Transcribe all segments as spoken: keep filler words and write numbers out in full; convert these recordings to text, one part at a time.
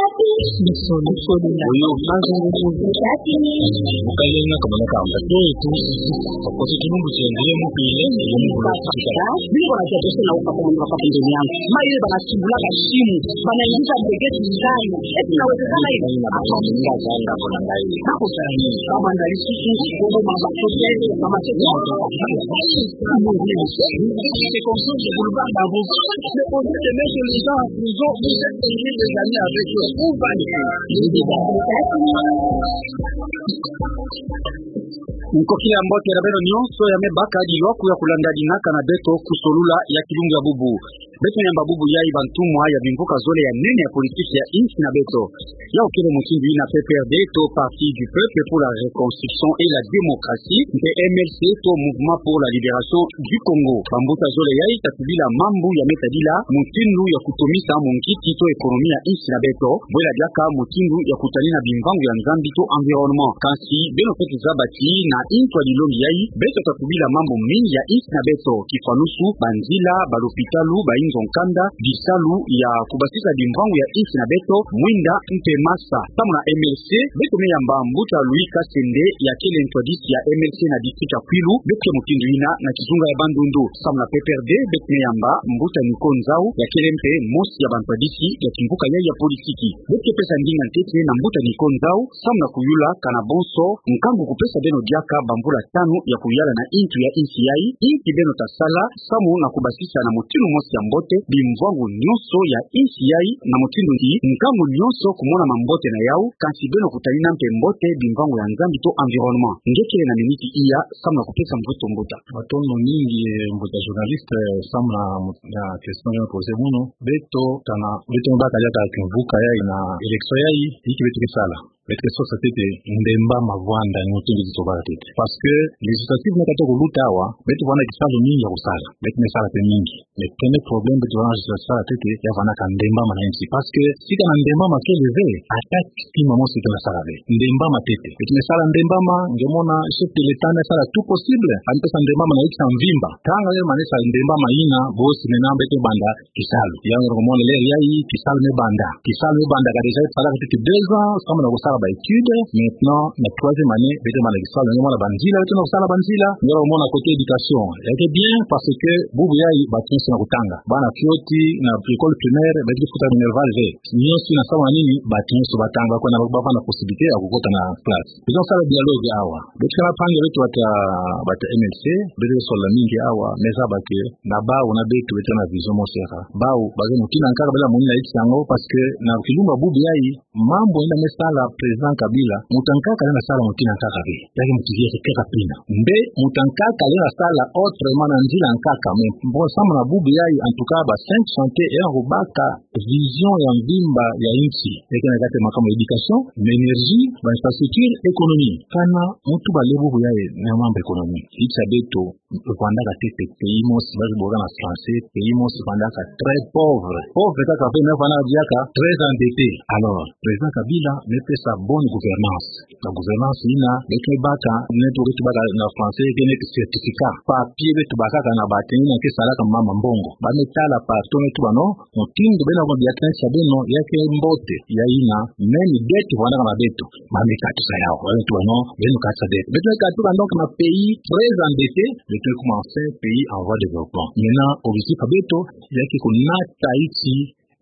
Oyo, kanso ngumu. Mukayenya kamana kamba. Oyo tu, okosi tulumbu tiendele mupile, yemukula tika. Bingwa na tia tose na uka kwa mwa kwa pembeni yangu. Maye bana tubula kashimu, bana ingiza mbegeti ndani. Eti nawezekana hivi? Hapana, ngai zanga kuna ngai. Kako zanga. Kama ndali sisi, kobo mama tose, mama tose. C'est comme ça que vous le faites à vous. C'est comme ça de mettre les gens en prison, vous êtes obligé de gagner avec eux. Où va le pays? Nkokila ya mbote na beno nyonso ya me baka dilwaku ya kulanda dinaka na beto ku solula ya kilumbu ya bubu. Beto yamba bubu yayi bantumwa ya bimvuka zole ya nene ya politiki ya insi na beto. Yawu kele mutindu yina P P R D to Parti du Peuple pour la Reconstruction et la Démocratie, mpe M L C to Mouvement pour la Libération du Congo. Bambuta zole yayi ta tubila mambu ya me tadila mutindu ya kutomisa munkiki to ekonomi ya insi na beto, bwela diaka mutindu ya kutalina bimvangu ya Nzambi to environnement. Kansi beno fweti zaba ti na ntu ya dilongi yayi, beto ta tubila mambu mingi ya insi na beto, kifanusu, banzila, balopitalu, bainzo nkanda, bisalu ya kubasisa bimvangu ya insi na beto, mwinda mpe masa. Samu na M L C, beto me yamba mbuta Louis Kasende, ya kele ntwadisi ya M L C na district ya Kwilu, beto ke mutindu yina na kizunga ya Bandundu. Samu na P P R D, beto me yamba mbuta Nico Nzau, ya kele mpe mosi ya bantwadisi ya kimvuka yayi ya politiki. Beto ke pesa ndinga ntete na mbuta Nico Nzau, samu na kuyula kana bonso nkangu kupesa beno diaka bamvula tanu ya kuyala na ntu ya insi yayi, inki beno ta sala, samu na kubasisa na mutindu mosi ya mbote bimvangu nyonso ya insi yayi, na mutindu ti nkangu nyonso kumona mambote na yawu, kansi beno kutalina mpe mbote bimvangu ya Nzambi to environnement. Nge kele na miniti iya, samu na kupesa mvutu mbuta. Matondo mingi, eh, mbuta journaliste, eh, samu na mu-, na question ya poser munu. Beto tana, beto baka diaka kimvuka yayi na élection yayi, inki beto ke sala? Beto ke sosa ntete ndemba mavwanda, ni mutindu beto baka ntete. Parce que législative me katuka kuluta awa, beto vwanda kisalu mingi ya kusala. Beto me sala mpe mingi. Mais premier problème beto vwanda sala ntete, ya vwandaka ndemba ma na insi. Parce que si kana ndemba ma kele ve, ata kima mosi beto na sala ve. Ndemba ma ntete. Beto me sala ndemba ma, nge mona chef de l'État me sala tout possible, a me pesa ndemba ma na insi ya mvimba. Tanga ye ma na sala ndemba ma yina, bosi mena beto banda kisalu. Yandi komona l'heure yayi, kisalu me banda. Kisalu me banda, ka déjà fallaka ntete deux ans, samu na kusala ba études. Maintenant, na troisième année, beto banda kisalu. Yandi komona banzila, beto na kusala banzila. Yandi komona côté éducation. Ya ke bien, parce que bubu yayi, bato nyonso na kutanga. Bana fioti, na école primaire, beto ke futa minerval ve. Nyonso na samu na nini, bato nyonso batanga, bakwe na bavana possibilité ya kukota na classe. Beto sala dialogue awa. Beto kana mpangi ya beto bata, bata M L C, beto ke sola mingi awa, me zaba ke na bawu na beto, beto na vision mosi kaka. Bawu, ba ke mutindu ya nkaka bala moni na insi yango, parce que na kilumbu ya bubu yayi, mambu yina me sala président Kabila, mutu ya nkaka lenda sala mutindu ya nkaka ve. Ya ke mutu ya nkaka pina. Mbe mutu ya nkaka lenda sala autrement na nzila ya nkaka, mais bon, samu na bubu yayi, en tout cas, ba cinq chantiers, ya kubaka vision ya mvimba ya insi. Ya ke na kati ya makambu ya éducation, na énergie, ba infrastructure, économie. Kana muntu bale bubu yayi na mambu économie. Insi ya beto, vwandaka ntete pays mosi, ba ke bokaka na français, pays mosi vwandaka très pauvre. Pauvre kaka ve, mais vwandaka diaka très endetté. Alors, président Kabila me pesa bonne gouvernance. Na gouvernance yina, beto baka, neti beto baka na français, ke neti certificat. Papier beto bakaka na bato yina ke salaka mama mbongo. Ba me tala partout, neti beno, mutindu beno ko dia tensa beno, ya ke mbote, ya yina, même dette vwandaka na beto. Ba me katusa yawu, ba me tuba non, beno katusa dette. Beto katuka donc na pays très endetté, beto kuma enfin pays en voie de développement. Maintenant, objectif ya beto, ya ke kunata insi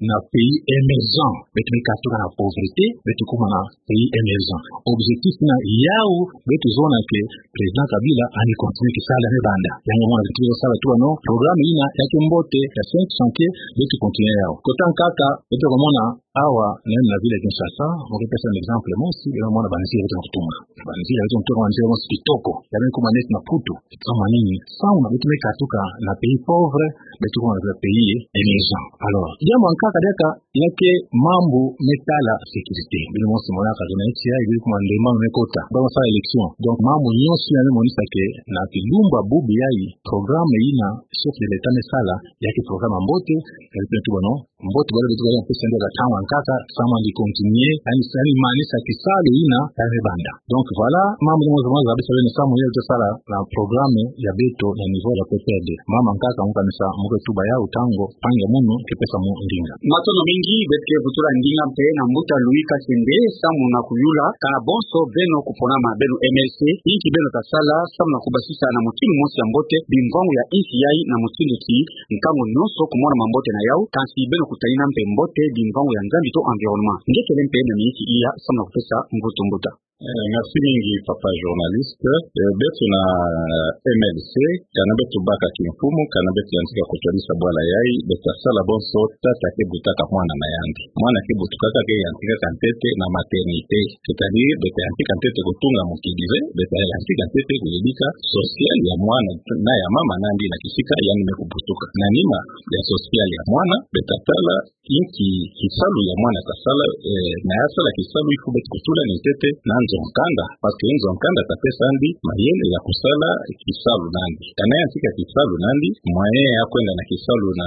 na pays émergent. Beto me katuka na pauvreté, beto kuma na pays émergent. Objectif na yawu, beto zona ke président Kabila, a ni continuer kisalu ya me banda. Yango mona beto sala tuba non, programme yina, ya ke mbote, ya cinq chantiers, beto continuer yawu. Kota nkaka, beto komona, awa, même na ville ya Kinshasa, mo ke pesa un exemple mosi, beno mona banzila beto na kutunga. Banzila beto na kutunga, banzila mosi kitoko. Ya me kuma neti na Mputu. Samu na nini? Samu na beto me katuka na pays pauvre, beto kuma na pays émergent. Alors, diambu ya nkaka diaka, ya ke mambu me tala sécurité. Beno mosi monaka ke na insi yayi, beno kuma ndemba me kota. Ba me sala élection. Donc, mambu nyonso yina me monisa ke na kilumbu ya bubu yayi, programme yina chef de l'État me sala, ya ke programme ya mbote, ya ke tuba non, mbote bwala beto ka pesa nde ka tanga nkaka, samu andi continuer, yaani, yaani manisa kisalu yina ya me banda. Donc voilà, mambu ni mosi mosi ya beto beno samu ya beto sala na programme ya beto ya niveau ya P P R D. Mama nkaka, mu kanisa, mu ke tuba yawu ntangu, mpangi ya munu ke pesa mu ndinga. Matondo mingi, beto ke vutula ndinga mpe na mbuta Louis Kasende, samu na kuyula, kana bonso beno kuponama beno M L C, inki beno ta sala, samu na kubasisa na mutindu mosi ya mbote, bimvangu ya insi yayi na mutindu ti nkangu nyonso kumona mambote na yawu, kansi beno kutalina mpe mbote bimvangu ya Nzambi to environnement. Nge kele mpe na miniti iya samu na kupesa mvutu mbuta. Eh, merci mingi, papa journaliste. Eh, beto na M L C, kana beto baka kimfumu, kana beto yantika kutwadisa bwala yayi, beto ta sala bonso tata ke butaka mwana na yandi. Mwana ke butukaka ke yantikaka ntete na maternité. C'est-à-dire, beto yantika ntete kutunga mukidi ve, beto yantika ntete kuyebika social ya mwana na ya mama na yandi na kisika yandi me kubutuka. Na nima ya social ya mwana, beto ta tala inki kisalu ya mwana ta sala, eh, na ya sala kisalu, il faut beto kutula ni ntete na nzo-nkanda, parce que nzo-nkanda ta pesa yandi mayele ya kusala kisalu na yandi. Kana yantika kisalu na yandi, moyen ya kwenda na kisalu na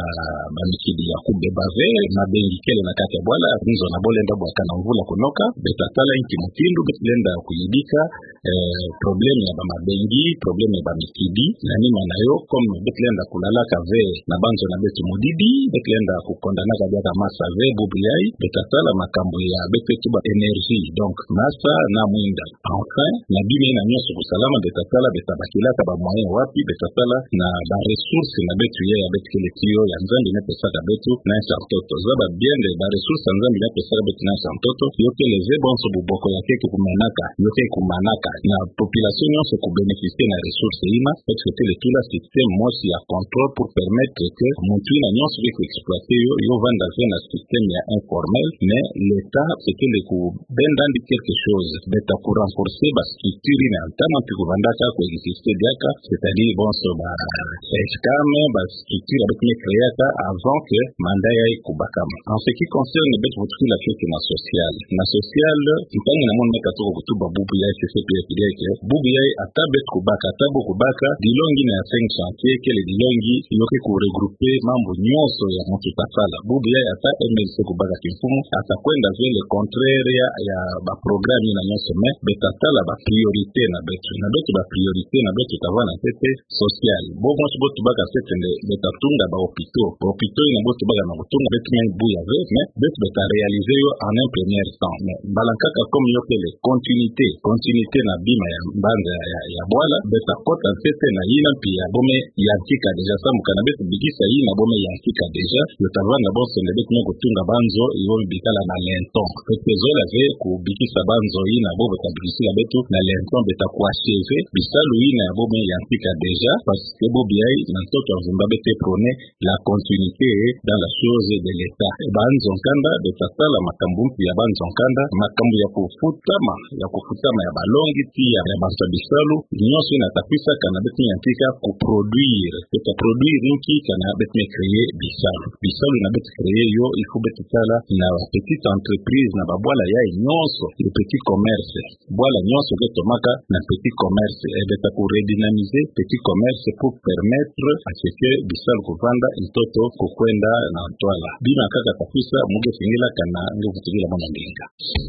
bamikidi ya kubeba ve, mabengi kele na kati ya bwala, nzo na bo lenda bwaka na mvula kunoka, beto ta tala inki mutindu beto lenda kuyebika, eh, problème ya bamabengi, problème ya bamikidi, na nima na yo, comme beto lenda kulalaka ve na banzo na beto mudibi, beto lenda kukondanaka diaka masa ve, bubu yayi, beto ta tala makambu ya beto ke tuba énergie. Donc, masa na mwinda. Enfin, na bima yina nyonso kusalama, beto ta tala beto ta bakilaka ba moyen wapi, beto ta tala na ba ressources na beto ya, ya beto kele tiyo ya Nzambi me pesaka beto na nsi ya ntoto. Zaba bien nde ba ressources ya Nzambi me pesaka beto na nsi ya ntoto, yo kele ve bonso buboko ya ke kumanaka, yo ke kumanaka. Na population nyonso ku bénéficier na ressources yina, parce que kele tula système mosi ya contrôle pour permettre que muntu yina nyonso ke ku exploiter yo, yo vanda ve na système ya informel, mais l'État, c'est que le ku benda yandi quelque chose, beto ta ku renforcer ba structure yina ya ntama mpi kuvandaka, ku exister diaka, c'est-à-dire bonso ba S K M, ba structure ya beto me créer-aka avant que mandat yayi kubakama. En ce qui concerne beto vutukila fete na social. Na social, mpangi na munu me katuka kutuba bubu yayi, C C P F D I, que bubu yayi ata beto kubaka, ata bo kubaka, dilongi yina ya cinq chantiers, kele dilongi yo ke ku regrouper mambu nyonso ya muntu ta sala. Bubu yayi ata M L C kubaka kimfumu, ata kwenda ve le contraire ya, ya ba programme yina nyonso, mais beto ta tala ba priorité na beto. Na beto ba priorité na beto ta vanda ntete social. Bo mosi bo tubaka ntete nde beto ta tunga ba hôpitaux. Ba hôpitaux yina bo tubaka na kutunga, beto me buya ve, mais beto, beto ta réaliser yo en un premier temps. Mais mbala nkaka comme yo kele continuité, continuité na bima ya mbanza ya, ya, ya bwala, beto ta kota ntete na yina mpi ya bo me yantika déjà, samu kana beto bikisa yina bo me yantika déjà, yo ta vanda bonso nde beto me kutunga banzo, yo bikala na lento. Beto ke zola ve kubikisa banzo yina bo, bo ta bikisila beto na lento, beto ta ku achever bisalu yina ya bo me yantika déjà, parce que bubu yayi na ntoto ya mvimba beto ke prôner la continuité dans la chose de l'État. Banzo-nkanda, beto ta tala makambu mpi ya banzo-nkanda, makambu ya kufutama, ya kufutama ya balongi, tiya ya bantu ya bisalu, nyonso yina ta kwisa kana beto me yantika ku produire. Beto ta produire inki? Kana beto me créer bisalu. Bisalu yina beto créer yo, il faut beto tala na petite entreprise, na babwala yayi nyonso, le petit commerce. Bwala nyonso ke tomaka na petit commerce, eh, beto ta ku redynamiser petit commerce pour permettre à ce que bisalu kuvanda, ntoto kukwenda na ntwala. Bima kaka ta kwisa, mu ke singila kana nge vutukila mwana ndinga.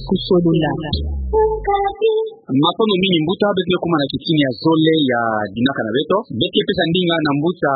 Kusolula. Matondo mingi mbuta, beto ke kuma na kitini ya zole ya dinaka na beto. Beto ke pesa ndinga na mbuta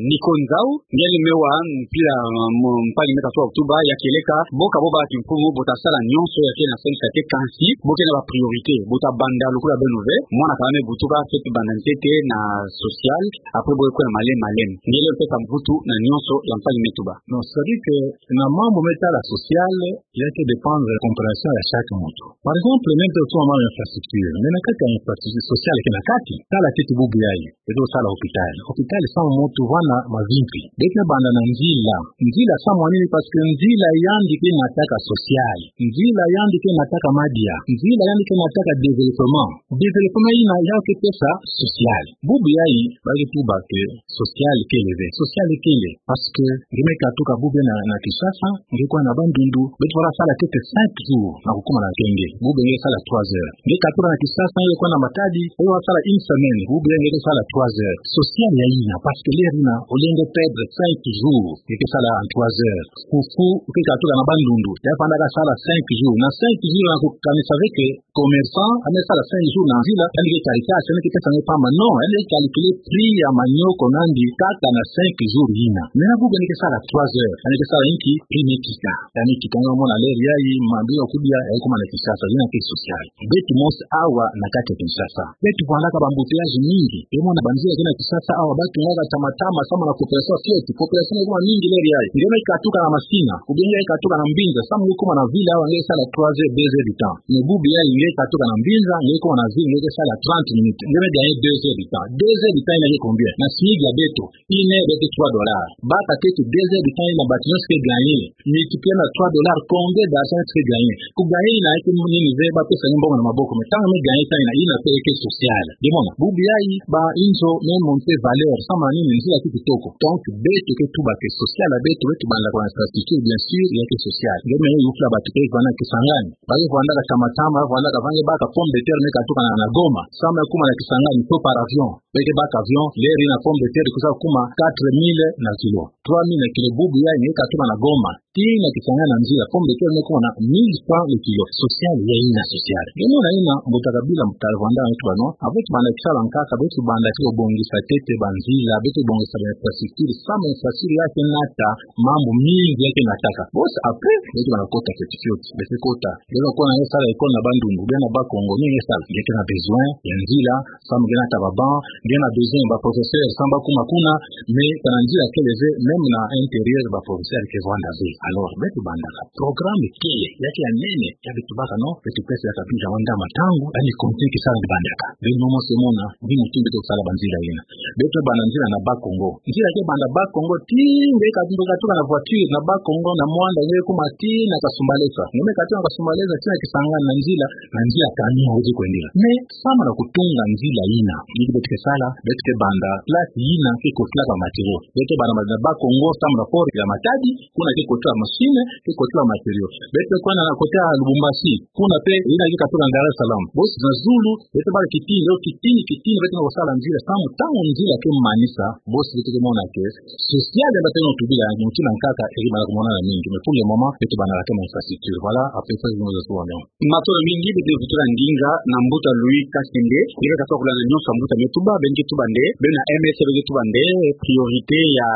Nico Nzau, nge ni me wa mpila, mm, mpangi me katuka kutuba, ya kieleka, bo ka bo baka kimfumu, bo ta sala nyonso ya ke na sensa ke, kansi bo ke na ba priorité, bo ta banda lokola beno ve, mwana ka me butuka, fete banda ntete na social, après bo ke kwenda malembe malembe. Nge lenda pesa mvutu na nyonso ya mpangi me tuba. Non, c'est-à-dire que na mambu me tala social, ya ke dépendre compréhension ya chaque muntu. Par exemple, même pour mambu ya infrastructure, mais na kati ya infrastructure sociale ke na kati, tala ntete bubu yayi, beto sala hôpital. Hôpital samu muntu vanda mavimpi. Beto me banda na nzila. Nzila samu nini? Parce que nzila yandi ke ngataka social. Nzila yandi ke ngataka madia. Nzila yandi Ike nataka développement. Développement yina ya ke pesa social. Bubu yayi, ba ke tuba ke social kele ve. Social kele. Parce que nge me katuka bubu na, na Kinshasa, nge kwenda na Bandundu, beto bala sala ntete cinq jours na kukuma na kenge. Bubu nge sala trois heures. Nge katuka na Kinshasa, nge kwenda na Matadi, nge bala sala une semaine. Bubu nge ke sala trois heures. Social ya yina, parce que l'heure yina, au lieu nge perdre cinq jours, nge ke sala en trois heures. Fufu, nge katuka na Bandundu, ya fwana kasala cinq jours. Na cinq jours na kukanisa ve que commerçant, yandi ke sala cinq jours na nzila, yandi ke calculer, yandi ke pesa nge pamba. Non, yandi ke calculer prix ya manioko na yandi kaka na cinq jours yina. Maintenant bubu yandi ke sala trois heures, yandi ke sala inki? Prix me kita. Yandi kita, nge mona l'heure yayi, mabi ya kudia, ya kuma na Kinshasa, yina ke social. Beto mosi awa na kati ya Kinshasa, beto vwandaka ba embouteillages mingi. Nge mona banzila ke na Kinshasa awa, ba tungaka tama tama, samu na population fioti. Population ke kuma mingi l'heure yayi. Nge me katuka na Masina, ou bien nge katuka na Mbinza, samu nge kuma na ville awa, nge sala trois heures, deux heures de temps. Mais bubu yayi, nge katuka na Mbinza, nge kuma na ville, nge ke sala trente minutes. Nge me gagner deux heures de temps. Deux heures de temps yina ke combien? Na SMIC ya beto, une heure eke trois dollars. Baka ntete deux heures de temps yina batu nyonso ke gagner, multiplier na trois dollars, combien d'argent tu peux gagner? Ku gagner yina eke nini ve, ba pesa nge mbongo na maboko, mais ntangu me gagner temps yina, yina pe eke social. Nge mona, bubu yayi, ba inzo me monter valeur, samu na nini? Nzila ke kitoko. Donc beto ke tuba ke social ya beto, beto bandaka ba infrastructure, bien sûr, ya ke social. Nge me yufula batu ke vwanda na Kisangani, ba ke vwandaka tama tama, vwandaka, va nge baka pomme de terre, me katuka na, na Goma, samu ya kuma na Kisangani, faut par avion. Be ke baka avion, l'heure yina pomme de terre kwiza kuma quatre mille na kilo, trois mille na kilo. Bubu yayi nge katuka na Goma tii na Kisangani na nzila, pomme de terre me kuma na mille francs le kilo. Social ya yina social. Nge mona yina, mbuta Kabila, mbuta vwanda nge tuba non, beto banda kisala nkaka, beto banda ke bongisa ntete banzila, beto bongisa ba infrastructure, samu infrastructure ya ke nata mambu mingi ya ke nataka. Bosi après, beto banda kota fioti fioti, beto kota. Nge ke kota, nge sala école na Bandundu, ou bien na Bas-Congo, nini nge sala? Nge ke na besoin ya nzila, samu nge nata ba banc, nge na besoin ba professeur, samu ba kuma kuna, mais kana nzila kele ve, même na intérieur ba professeur ke vwanda ve. Alors beto bandaka programme kele, ya ke ya nene, ya beto baka non, beto pesa ya Kabila wanda matangu, yandi continue kisala bandaka. Beno mosi mona, ni mutindu beto sala banzila yina. Beto banda nzila na Bas-Congo. Nzila ke banda Bas-Congo tii, nge katuka, katuka na voiture na Bas-Congo, na Muanda, nge kuma tii na Kasumbalesa. Nge me katuka na Kasumbalesa tii na Kisangani na nzila, na nzila camion weze kwendela. Mais samu na kutunga nzila yina, nini beto ke sala? Beto ke banda place yina ke kotilaka matériaux. Beto banda na Bas-Congo, samu na port ya Matadi, kuna ke kotila machine, ke kotila matériaux. Beto kwenda na côté ya Lubumbashi, kuna pe yina ke katuka na Dar es Salaam. Bosi na zulu, beto bala kitini, kitini, kitini, beto na kusala nzila, samu ntangu nzila ke manisa, bosi beto ke mona ke social ya beto na tubila, mutindu nkaka, eri bala kumonana mingi. Mais pour le moment, beto banda kaka ma infrastructure. Voilà à peu près. Matondo mingi, beto kutuka ndinga na mbuta Louis Kasende, nge ke katuka kula na nyonso mbuta me tuba, beno ke tuba nde, beno na M S ke tuba nde, priorité ya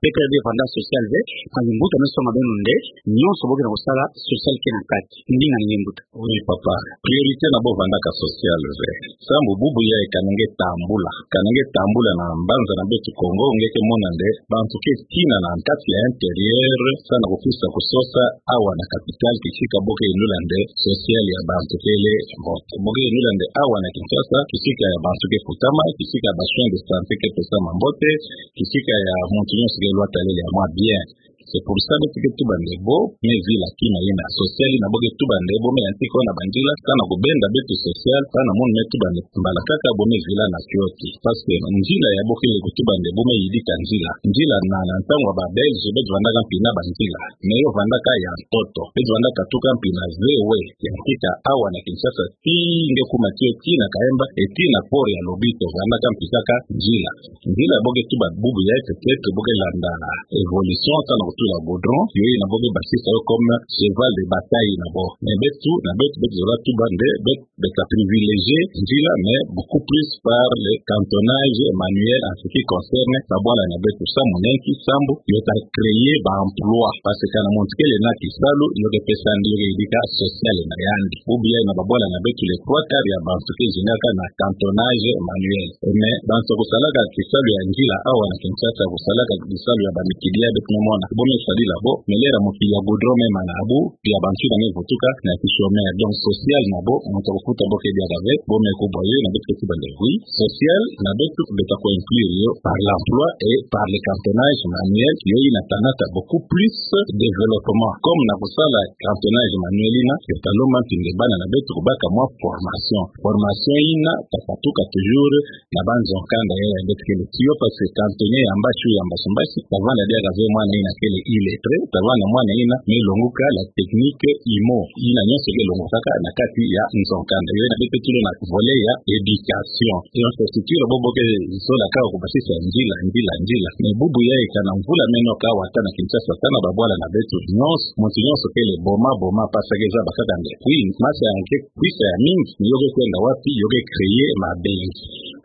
P P R D vanda social ve, kasi mbuta me soma beno nde, nyonso bo ke na kusala, social ke na kati. Ndinga ni nge mbuta. Oui, papa. Priorité na bo vandaka social ve. Samu bubu yayi kana nge tambula. Kana nge tambula na mbanza na beto Kongo, nge ke mona nde bantu ke tina na kati ya intérieur, samu na kukwisa kusosa awa na capitale, kisika bo ke yinula nde social ya bantu kele mbote. Bo ke yinula nde awa na Kinshasa, kisika ya bantu ke futama, kisika ya ba soins de santé ke pesama mbote, kisika ya muntu nyonso ke lwata lele ya mwa bien. C'est pour ça beto ke tuba nde bo me vila kima yina social, na bo ke tuba nde bo me yantika na banzila, samu na kubenda beto social, samu na munu me tuba nde mbala kaka bo me vila na fioti. Parce que nzila ya bo kele kutuba nde bo me yidika nzila. Nzila na, na ntangu ya ba Belge, beto vandaka mpi na banzila. Mais yo vandaka ya ntoto. Beto vandaka tuka mpi na V W, yantika awa na Kinshasa, tii nge kuma tiyo tii na Kahemba, et tii na port ya Lobito, vandaka mpi kaka nzila. Nzila bo ke tuba bubu yayi, peut-être bo ke landa évolution, samu na kutula goudron, yo yina bo ke basisa yo comme cheval de bataille na bo. Mais beto, na beto, beto zola tuba nde, beto, beto privilégier nzila, mais beaucoup plus par le cantonnage manuel en ce qui concerne ba bwala na beto, samu na nki? Samu yo ta créer ba emploi. Parce que kana muntu kele na kisalu, yo ke pesa yandi, yo ke yidika social na yandi. Bubu yayi na ba bwala na beto, les trois quarts ya bantu ke zingaka na cantonnage manuel. Mais bantu kusalaka kisalu ya nzila awa na Kinshasa, kusalaka kisalu ya ba mikili ya beto me mona. Bo me sadila bo, me lera mo ki ya goudron me mana abu, ya bantu na me vutuka, na ki chômeur. Donc, social na bo, mo ta kufuta bo ke diaka ve, bo me kubwa yo, na beto ke tuba nde oui. Social, na beto, beto ko inclure yo, par l'emploi et par le cantonnage manuel, yo ina ta nata beaucoup plus développement. Comme na kusala cantonnage manuel ina, yo ta lomba mpinde bana na beto kubaka mwa formation. Formation ina, ta katuka toujours, na banzo kanda ya ya beto kele tiyo, parce que cantonnier ya mbasi, ya mbasi, mbasi, ta vanda diaka ve mwana ina kele illettré, ta vanda mwana ina me longoka la technique imo. Ina nyonso ke longokaka na kati ya nzo kanda. Yo ina beto tilo na volet ya éducation. Et infrastructure, bo bo ke zola kaka kubasisa nzila, nzila, nzila. Mais bubu yayi kana mvula me noka wata na Kinshasa, kana babwala na beto nyonso, muntu nyonso kele boma, boma, parce que zaba kaka nde. Oui, masse ya nge ke kwisa ya mingi, ni yo ke kwenda wapi? Yo ke créer mabengi.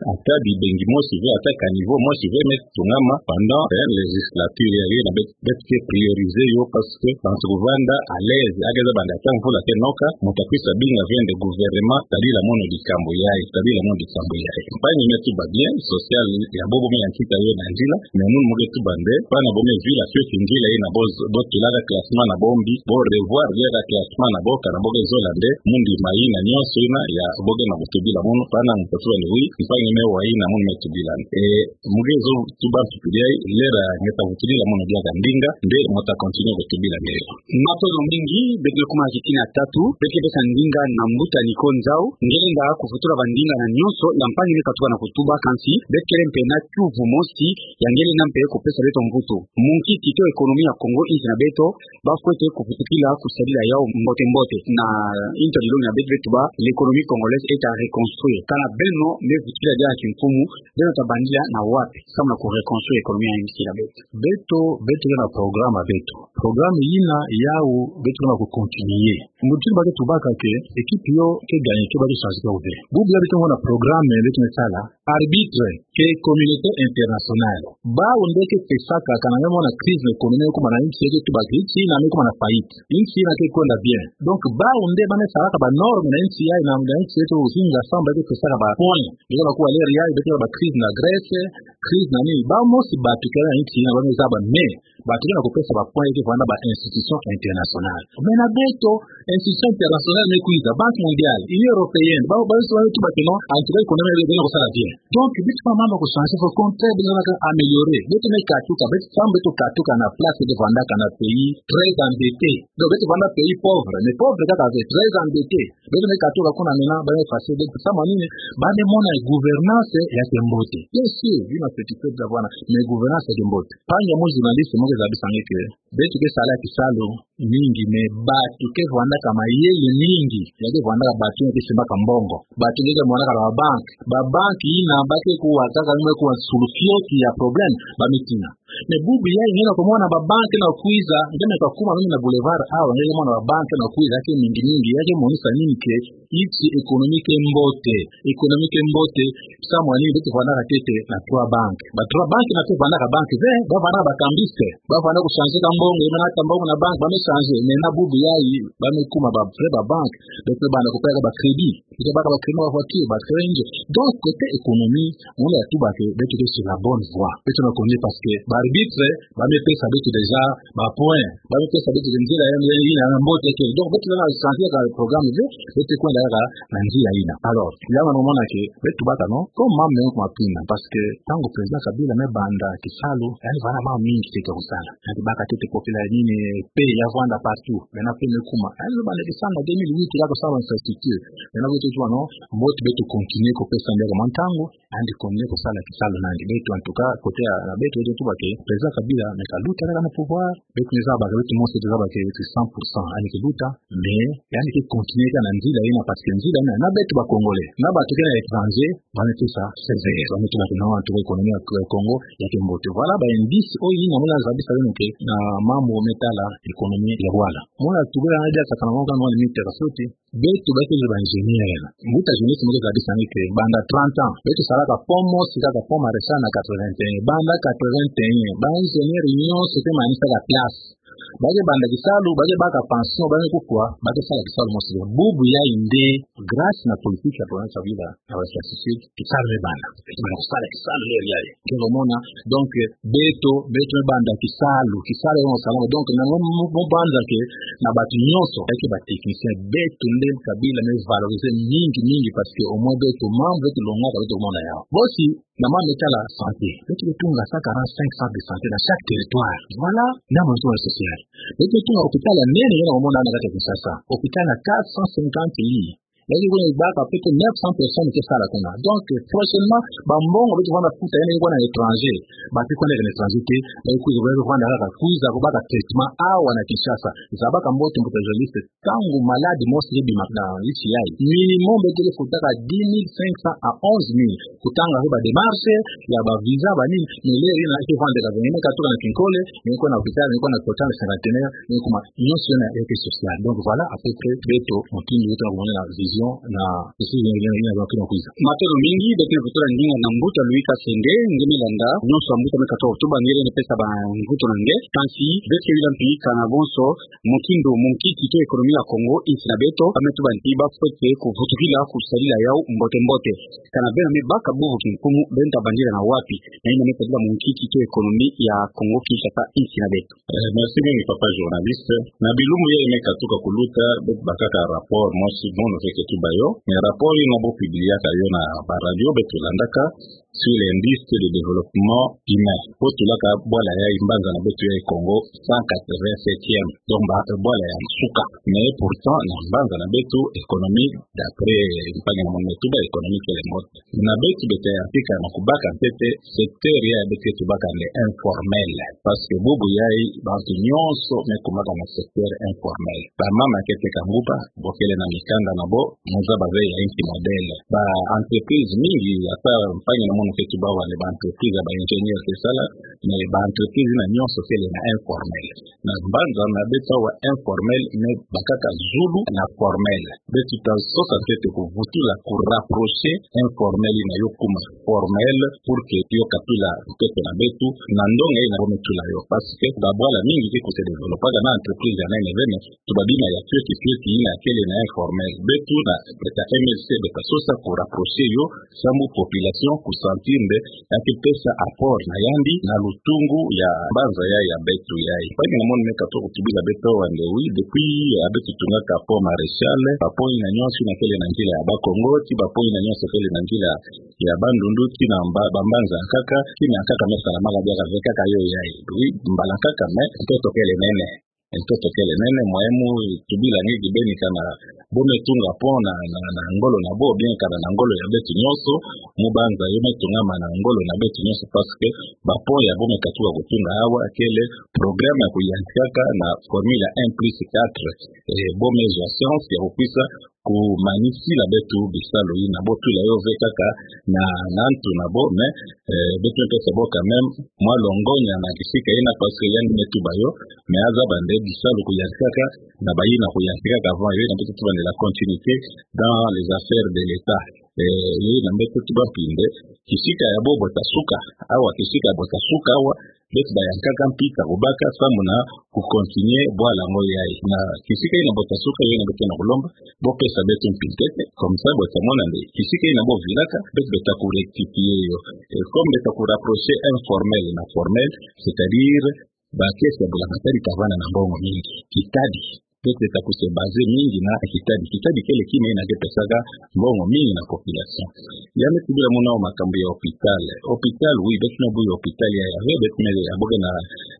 Ata bibengi mosi ve, ata caniveau mosi ve me tungama pendant, eh, législature ya, yo na beto, beto ke prioriser yo, parce que bantu kuvanda à l'aise, ake zaba nde ata mvula ke noka, mo ta kwisa binga ve nde gouvernement, sadila mono dikambu yayi, sadila mono dikambu yayi. Mpangi me tuba bien, social ya bo bo me yantika yo na nzila, mais munu mo ke tuba nde, bana bo me vila fioti nzila ina bo, bo tulaka classement na bo mbi, bo revoir diaka classement na bo, kana bo ke zola nde, mundi ma ina nyonso ina ya bo ke na kutubila munu, bana mo ke tuba nde oui, mpangi me wa ina munu me tubila nde. Eh, mo ke zo tuba ntupidi yayi, lera nge ta kutubila munu diaka ndinga, nde mo ta continuer kutubila nde. Matondo mingi, beto me kuma kitina tatu, beto ke pesa ndinga na mbuta Nico Nzau, nge lenda kuvutula bandinga na nyonso, ya mpangi me katuka na kutuba, kansi, beto kele mpe na kiuvu mosi, ya nge lenda mpe kupesa beto mvutu. Munkiki to économie ya Kongo, insi na beto, ba fwete kuvutukila kusadila yau mbote mbote. Na introduction ya beto, beto tuba, l'économie congolaise est à reconstruire. Kana beno me vutukila diaka kimfumu, beno ta bandila na wapi, samu na ku reconstruire économie ya insi na beto? Beto, beto ke na programme ya beto. Programme ina yau beto ke na ku continuer. Mbuta, ba ke tubaka que équipe yo ke gagner, que ba ke changer, que ba ke. Bubu ya beto na programme, beto me sala. Arbitre, que communauté internationale. Bau nde ke pesaka, kana me mona crise na économie, kuma na insi ke tuba que insi ina me kuma na faillite. Insi ina ke kwenda bien. Donc, bau nde ba me salaka ba norme na insi yayi, na insi yeto, zinga samba ke pesaka ba point. Yo ba kuwa lera yayi, beto ba crise na Grèce, crise na nini. Bau mosi batuke na insi ina ba me zaba, mais batuke na kupesa ba point ke vwanda ba institution internationale. Mais na beto, institution internationale me kwiza, Banque mondiale, Union européenne, ba, ba, ba, ba, ba, ba, non, en tout cas, économie, ba, ba, ba, ba, bien. Donc, beto pas mama ku changer, faut au contraire, beto na ka améliorer. Beto me katuka, beto, samu beto katuka na place de vanda kana pays très endetté. Donc, beto vanda pays pauvre, mais pauvre kaka ve, très endetté. Beto me katuka kuna mena, ba me effacer, beto samu nini, ba me mona gouvernance ya kimbote. Bien sûr, bima satisfait bavwanda, mais gouvernance ya kimbote. Mpangi ya mo journaliste, mo ke zabisa nge que beto ke sala kisalu mingi, mais batu ke vwandaka mayele mingi, ya ke vwandaka batu ya ke simbaka mbongo. Batu ke vwandaka ba banque. Ba banque ina ba ke kuwa kaka, me kuwa solution ya problème ba me tina. Mais bubu yayi nge na kumona ba banque na kwiza, nge me kakuma nge na boulevard awa, nge mona ba banque na kwiza, ya ke mingi mingi, ya ke monisa nini que insi économie ke mbote, économie ke mbote, samu nini beto vwandaka ntete na trois banques. Ba trois banques na ke vwandaka banque ve, ba vwandaka ba cambistes, ba vwanda ku changer ka mbongo, ye me nata mbongo na banque, ba me changer, mais na bubu yayi, ba me kuma ba vrai ba banque, beto banda kupeka ba crédit, beto baka ba crédit na ba voiture, ba crédit. Donc, côté économie, on a tout bâti, beto ke sur la bonne voie. Beto na continuer parce que ba arbitre, ba me pesa beto déjà ba point. Ba me pesa beto nzila ya, ya, ya, ya mbote ke. Donc, beto na changer ka programme ve, beto kwenda ka na nzila ina. Alors, ya na mona que beto baka, non, comme mama me kuma pina, parce que ntangu président Kabila me banda kisalu, yani vwanda mama mingi ke kusala. Yani baka ntete population nini, paix ya vwanda partout. Maintenant paix me kuma. Yani banda kisalu deux mille huit, ya kusala infrastructure. Maintenant beto tuba, non, mbote beto continuer kupesa ndia ka mwa ntangu, and continuer kusala kisalu nandi. Beto, en tout cas, côté ya, ya beto, beto tuba que président Kabila me kaluta na pouvoir, beto me zaba que beto mosi zaba que beto cent pour cent, yani ke luta, mais yani ke continuer ka na nzila ina, parce que nzila ina, na beto ba Congolais, na batu ke na étranger, ba me pesa sévère, ba me tuba que non, en tout cas, économie ya Congo ya kimbote. Voilà ba indice oyo ina mona zabisa beno que na mambu me tala économie ya bwala. Mona tuba na dia sakana mona mona mita ka sote. Beto ba ke ba ingénieur. Mbuta journaliste mo ke zabisa nge que banda trente ans, beto salaka pont mosi kaka, pont Marechal na quatre-vingt-un. Banda quatre-vingt-un, ba ingénieur nyonso ke manisaka place. Ba ke banda kisalu, ba ke baka pension, ba ke kufwa, ba ke sala kisalu mosi. Bubu yayi nde, grâce na politique ya province ya Sud-Uele, na West Sud, kisalu me banda. Banda kusala kisalu le yayi. Ke lumona, donc, beto, beto me banda kisalu, kisalu yo sala. Donc, na mo, mo, mo banza ke, na bantu nyonso, ba ke ba technicien, beto nde kabila me valoriser mingi, mingi, parce que au moins beto, membre, beto longaka, beto mona yawu. Bosi, na mama me tala santé. Beto ke tunga cent quarante, cinq centres de santé dans chaque territoire. Voilà, na mo zo social. Beto ke tunga hôpital ya nene, ya na mona na kati ya Kinshasa. Hôpital ya quatre cent cinquante lits. Beto ke baka plus de neuf cents personnes ke sala kuna. Donc, prochainement, ba mbongo beto vanda futa, yandi ke kwenda na étranger. Ba ke kwenda na étranger te, ba ke kwiza, ba ke kwenda kaka kwiza, kubaka traitement awa na Kinshasa. Zabaka mbote, mbuta journaliste, ntangu maladi mosi ke bima na nsi yayi, minimum beto ke futaka dix mille cinq cents à onze mille. Kutanga ko ba démarche ya ba visa, ba nini, mais l'heure yina ke vandaka, vengi me katuka na Kinkole, me kwenda na hôpital, me kwenda na Total Cinquantenaire, me kuma nyonso yina ya ke social. Donc voilà à peu près beto mutindu beto na kumona na vision na esi yina, yina, yina, yina kwiza. Matondo mingi, beto ke kutula ndinga na mbuta Louis Kasenge, nge me landa nyonso ya mbuta me katuka kotuba, nge lenda pesa ba mvutu na nge. Kansi beto ke yula mpi kana bonso mutindu munkiki to économie ya Kongo, insi na beto, ba me tuba nti ba fwete kuvutukila kusadila yawu mbote mbote. Kana beno me baka bubu kinkumu, beno ta bandila na wapi? Na yina me sadila munkiki to économie ya Kongo Kinshasa, insi na beto. Eh, merci mingi, papa journaliste. Na bilumbu yayi me katuka kuluta, beto bakaka rapport mosi, mono ke tuba yo. Mais rapport yina bo publiaka yo na ba radio, beto landaka, sur l'indice de développement humain. Bo tulaka bwala yayi, mbanza na beto yayi Kongo, cent quatre-vingt-septième. Donc, ba, bwala ya nsuka. Mais pourtant, na mbanza na beto, économie, d'après mpangi na mono me tuba, économie kele mbote. Na beto, beto yantika na kubaka ntete, secteur ya beto ke tubaka nde informel. Parce que bubu yayi, bantu nyonso me kumaka na secteur informel. Ba mama ke teka nguba, bo kele na mikanda na bo, mo zaba ve ya inki modèle. Ba entreprise mingi, ata mpangi na mono ke tuba wale, ba entreprise ya ba ingénieur ke sala, mais ba entreprise yina nyonso kele na informel. Na mbanza na beto awa, informel me bakaka zulu na formel. Beto ta sosa ntete kuvutula, kurapprocher informel yina yo kuma formel, pour que yo katula ntoto na beto na ndonga yina bo me tula yo. Parce que ba bwala mingi ke kose développaka na entreprise ya nene ve, mais tuba bima ya fioti fioti yina kele na informel. Beto na, beto M L C, beto ta sosa kurapprocher yo, sambu population kusentir nde ya ke pesa apport na yandi na lutungu ya mbanza ya, ya beto yayi. Mpangi na mono me katuka kutubila beto awa nde, oui, depuis ya beto tungaka pont Maréchal, ba pont yina nyonso yina kele na nzila ya Bas-Congo, ti ba pont yina nyonso kele na nzila ya Bandundu, ti na mba-, ba mbanza ya nkaka, ti na ya nkaka me salamaka, bia ka vekaka yo yayi. Oui, mbala nkaka, mais ntoto kele nene. Ntoto kele nene, moyen mu tubila nge kibeni, kana bo me tunga pont na, na, na ngolo na bo, bien kana na ngolo ya beto nyonso, mu banza yo me tungama na ngolo na beto nyonso, parce que ba pont ya bo me katuka kutunga awa kele programme ya kuyantikaka na formule ya un plus quatre, eh, bo me zwa chance ya kukwisa kumanisila beto bisalu yina, bo tula yo ve kaka na, na ntu na bo, mais, eh, beto me pesa bo quand même mwa longonya na kisika yina, parce que yandi me tuba yo, mais azaba nde bisalu kuyantikaka na bayina kuyantikaka avant yo, yina beto tuba nde la continuité dans les affaires de l'État. Eh, yo yina beto tuba mpi nde, kisika ya bo bo ta suka awa, kisika ya bo ta suka awa, beto bayantikaka mpi ta kubaka sambu na kucontinuer bwala yango yayi. Na kisika yina bo ta suka, yo yina beto na kulomba, bo pesa beto mpi ntete, comme ça bo ta mona nde kisika yina bo vilaka, beto, beto ta kurectifier yo. Et comme beto ta kurapprocher informel na formel, c'est-à-dire ba caisse ya mbulamatari ta vanda na mbongo mingi. Kitabi. Beto ta kuse baser mingi na kitabi. Kitabi kele kima yina ke pesaka mbongo mingi na population. Ya me tubila muna awa makambu ya hôpital. Hôpital, oui, beto me buya hôpital ya, ya ve, beto me ya bo ke na,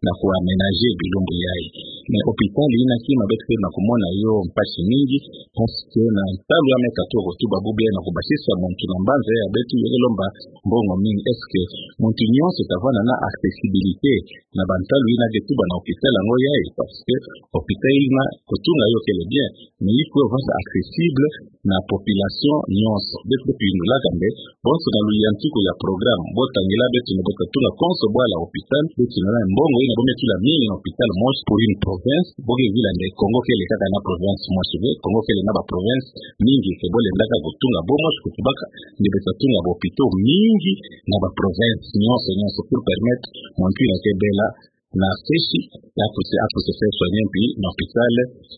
na kuaménager bilumbu yayi. Mais hôpital yina kima beto ke na kumona yo mpasi mingi, parce que na ntalu ya me katuka kutuba bubu yayi, na kubasisa muntu na mbanza ya beto, yo ke lomba mbongo mingi. Est-ce que muntu nyonso ta vanda na accessibilité na bantalu yina ke tuba na hôpital yango yayi? Parce que hôpital yina, kutunga yo kele bien, mais il faut vanda accessible na population nyonso. Beto, beto yindulaka nde, bonso na luyantiku ya programme bo tangila beto nde bo ta tunga konso bwala hôpital, beto yindula mbongo yina bo me tula mingi na hôpital mosi pour une province, bo ke vila nde Kongo kele kaka na province mosi ve, Kongo kele na ba province mingi, ke bo lendaka kutunga bo mosi, kutubaka nde beto ta tunga ba hôpitaux mingi na ba province nyonso, nyonso, pour permettre muntu yina ke bela na Fèche, ya kwiza, ya kwiza se faire soigner mpi na hôpital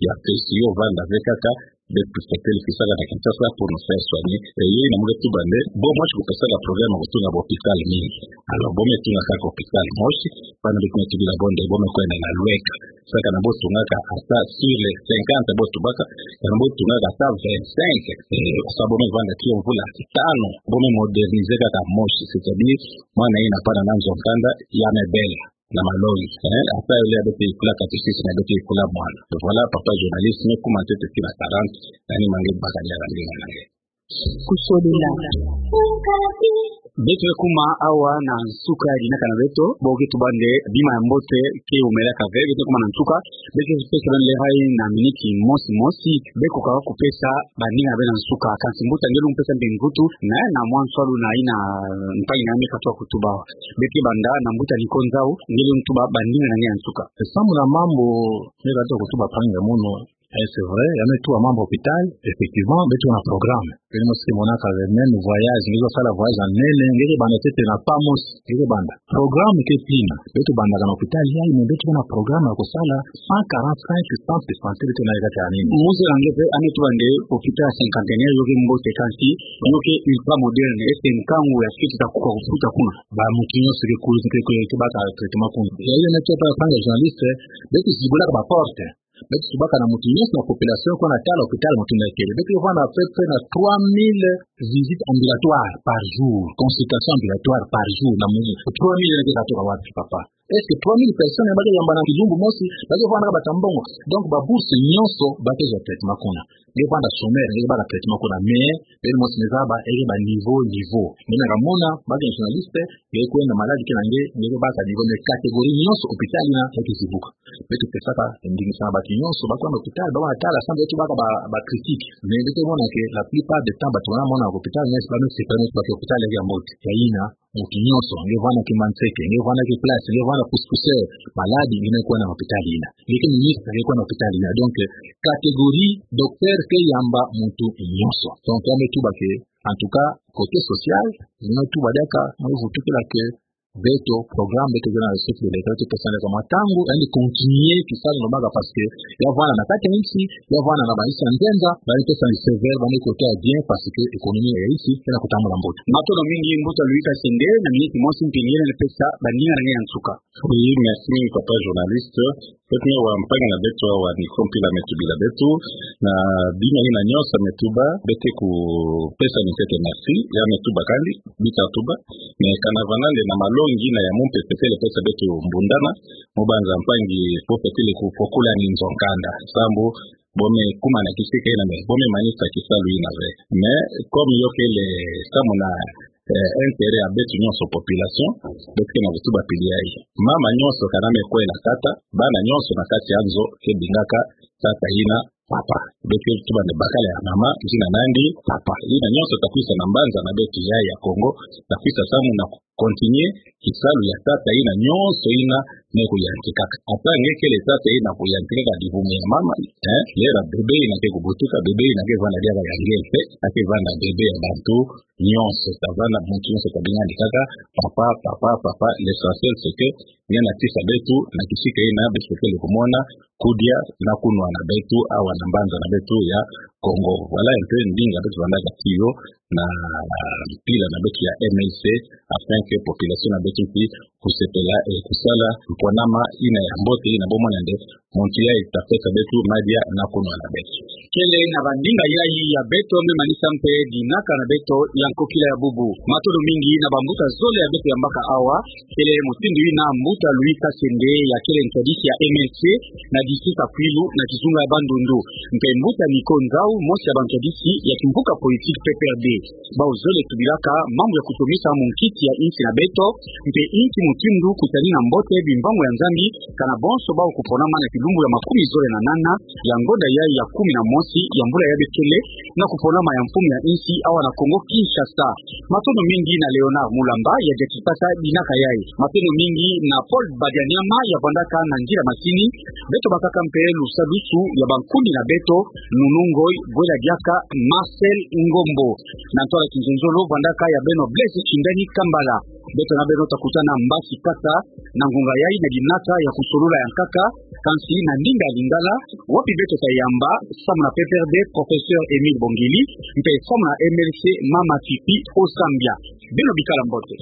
ya Fèche. Yo vanda ve kaka, beto kwiza kele kisaka na Kinshasa pour nous faire soigner. Eh, yo ina mo nge tuba nde, bo mosi kupesaka problème kutunga ba hôpital mingi. Alors, bo me tunga kaka hôpital mosi, bana beto me tubila bo nde, bo me kwenda na Lueka. Saka na bo tungaka ata sur les cinquante bo tubaka, kana bo tungaka ata vingt-cinq. Eh, sa bo me vanda ti mvula tanu, bo me moderniser kaka mosi, c'est-à-dire, mwana ina pana na nzo-nkanda, ya me bela na malongi. Eh, ata yo le ya beto ikula catéchisme, ya beto ikula mwana. Voilà, papa journaliste, me kuma ntete tii na quarante, nani ma nge baka ni ya nge na nge. Kusolila. Beto kuma awa na nsuka ya dinaka na beto, bo ke tuba nde bima ya mbote ke umelaka ve, beto kuma na nsuka, beto pesa beno le hayi na miniti mosi mosi, beko kaka kupesa bandinga na beno na nsuka, kansi mbuta nge lu mpesa mbi nkutu, na, na mwa nswalu na ina mpangi na nge katoa kutuba awa. Beke banda na mbuta Nico Nzau, nge lu ntuba bandinga na nge ya nsuka. Samu na mambu nge katoa kutuba mpangi ya mono, eh, c'est vrai, ya me tuba mambu hôpital, effectivement, beto na programme. Beno mosi ke monaka le même voyage, nge zo sala voyage ya nene, nge ke banda ntete na pas mosi, nge ke banda. Programme ke pina, beto bandaka na hôpital yayi, mais beto na programme ya kusala cent quarante-cinq centres de santé, beto na yeka tani. Muze na nge pe, ya me tuba nde hôpital cinquantenaire, yo ke mbote kansi, yo ke ultra moderne, est-ce que nkangu ya siki ta kuka kufuta kuna? Ba muntu nyonso ke kulu, ke, ke, ke baka traitement kuna. Ya yo na ke pa, panga journaliste, beto zibulaka ba porte. Beto tubaka na muntu nyonso na population, kwenda tala hôpital muntu na kele. Beto vanda à peu près na trois mille visites ambulatoires par jour, consultations ambulatoires par jour, na muntu. Trois mille nge katoka wapi, papa? Est-ce que trois mille personnes ba ke yamba na kilumbu mosi, ba ke vanda bata mbongo? Donc, ba bourse nyonso, ba ke zwa traitement kuna. Nge vanda sommaire, nge baka traitement kuna, mais, beno mosi me zaba, nge ba niveau, niveau. Nge na kamona, ba ke journaliste, nge kwenda malade ke na nge, nge baka niveau, mais catégorie nyonso hôpital ina, nge ke zibuka. Beto pesaka ndinga na batu nyonso, ba kwenda hôpital, ba kwenda tala, samu beto baka ba, ba critique. Mais beto mona que la plupart du temps, batu wana mona hôpital, mais ba me sepela, mais ba ke hôpital ya mbote. Ya ina, muntu nyonso, nge vanda ki Manseke, nge vanda ki Place, nge vanda Pousse-Pousseur, malade, nge me kwenda hôpital ina. Nge ke ministre, nge kwenda hôpital ina. Donc, catégorie docteur ke yamba muntu nyonso. Donc, ya me tuba que, en tout cas, côté social, ya me tuba diaka, me vutukila que, beto, programme beto ke na le chef de l'État, beto pesaka mwa ntangu, yandi continuer kisalu na baka, parce que ya vanda na kati ya insi, ya vanda na ba insi ya nzenza, ba insi ya sévère, ba ni kote ya bien, parce que économie ya insi, ke na kutambula mbote. Matondo mingi, mbuta Louis Kasende, na miniti mosi mpe nge na pesa, bandinga na nge ya nsuka. Oui, merci, papa journaliste. Beto na wa mpangi na beto, wa Nico mpila me tubila beto, na bima ina nyonso me tuba, beto kupesa ntete merci, ya me tuba kandi, bita tuba, mais kana vanda nde na malongi na ya mumpe pepele pesa beto mbundana, mu banza mpangi po pepele ku-, kupokulani nzo-nkanda. Samu, bo me kuma na kisika ina, mais bo me manisa kisalu ina ve. Mais, comme yo kele samu na, eh, intérêt ya beto nyonso population, beto ke na kutuba pili yayi. Mama nyonso kana me kwela tata, bana nyonso na kati ya nzo ke bengaka tata ina papa. Beto tuba nde bakala ya mama, zina na yandi papa. Ina nyonso ta kwisa na mbanza na beto ya, ya Congo, ta kwisa samu na continuer kisalu ya tata ina nyonso ina me kuyantikaka. Ata nge kele tata ina kuyantikaka dibumu ya mama, eh, lera bébé ina ke kubutuka, bébé ina ke vanda diaka ya nge mpe, ake vanda bébé ya bantu nyonso. Ta vanda muntu nyonso ta benga yandi kaka papa, papa, papa. L'essentiel c'est que nge na tisa beto na kisika ina beto kele kumona kudia na kunwana beto awa na mbanza na beto ya Congo. Voilà un peu ndinga beto vandaka tiyo na mpila na beto ya M L C, afin que population na beto puisse kusepela, eh, kusala mponama ina ya mbote, ina bo mona nde muntu yayi ta pesa beto madia na kunwana beto. Kele na bandinga yayi ya beto me manisa mpe dinaka na beto ya nkokila ya bubu. Matondo mingi na bambuta zole ya beto yambaka awa, kele mutindu ina mbuta Louis Kasende ya kele ntwadisi ya M L C na district ya Kwilu na kizunga ya Bandundu, mpe mbuta Nico Nzau, mosi ya bantwadisi ya kimvuka politique P P R D. Bawu zole tubilaka mambu ya kutomisa munkisi ya insi na beto, mpe insi mutindu kutani na mbote bimbangu ya Nzambi, kana bonso bawu kuponama na kilumbu ya makumi zole na nana ya ngonda yayi ya kumi na mosi ya mbula yayi kele, na kuponama ya mfumu ya insi awa na Congo Kinshasa. Matondo mingi na Léonard Mulamba ya diatisaka dinaka yayi. Matondo mingi na Paul Badianyama ya vandaka na nzila masini. Beto bakaka mpe lusadusu ya bankundi na beto, Nunu Ngoyi, Bwela diaka Marcel Ngombo. Na ntwala kinzonzolo, vandaka ya beno Blaise Tshindani Kambala. Beto na beno takutana mbasi kata na ngonga yayi na dinata ya kusolola ya nkaka, kansi na ndinga ya Lingala, wapi beto tayamba samu na P P R D, Professeur Émile Bongili, mpe samu na M L C Mama Tipi Osambia. Beno bikala mbote.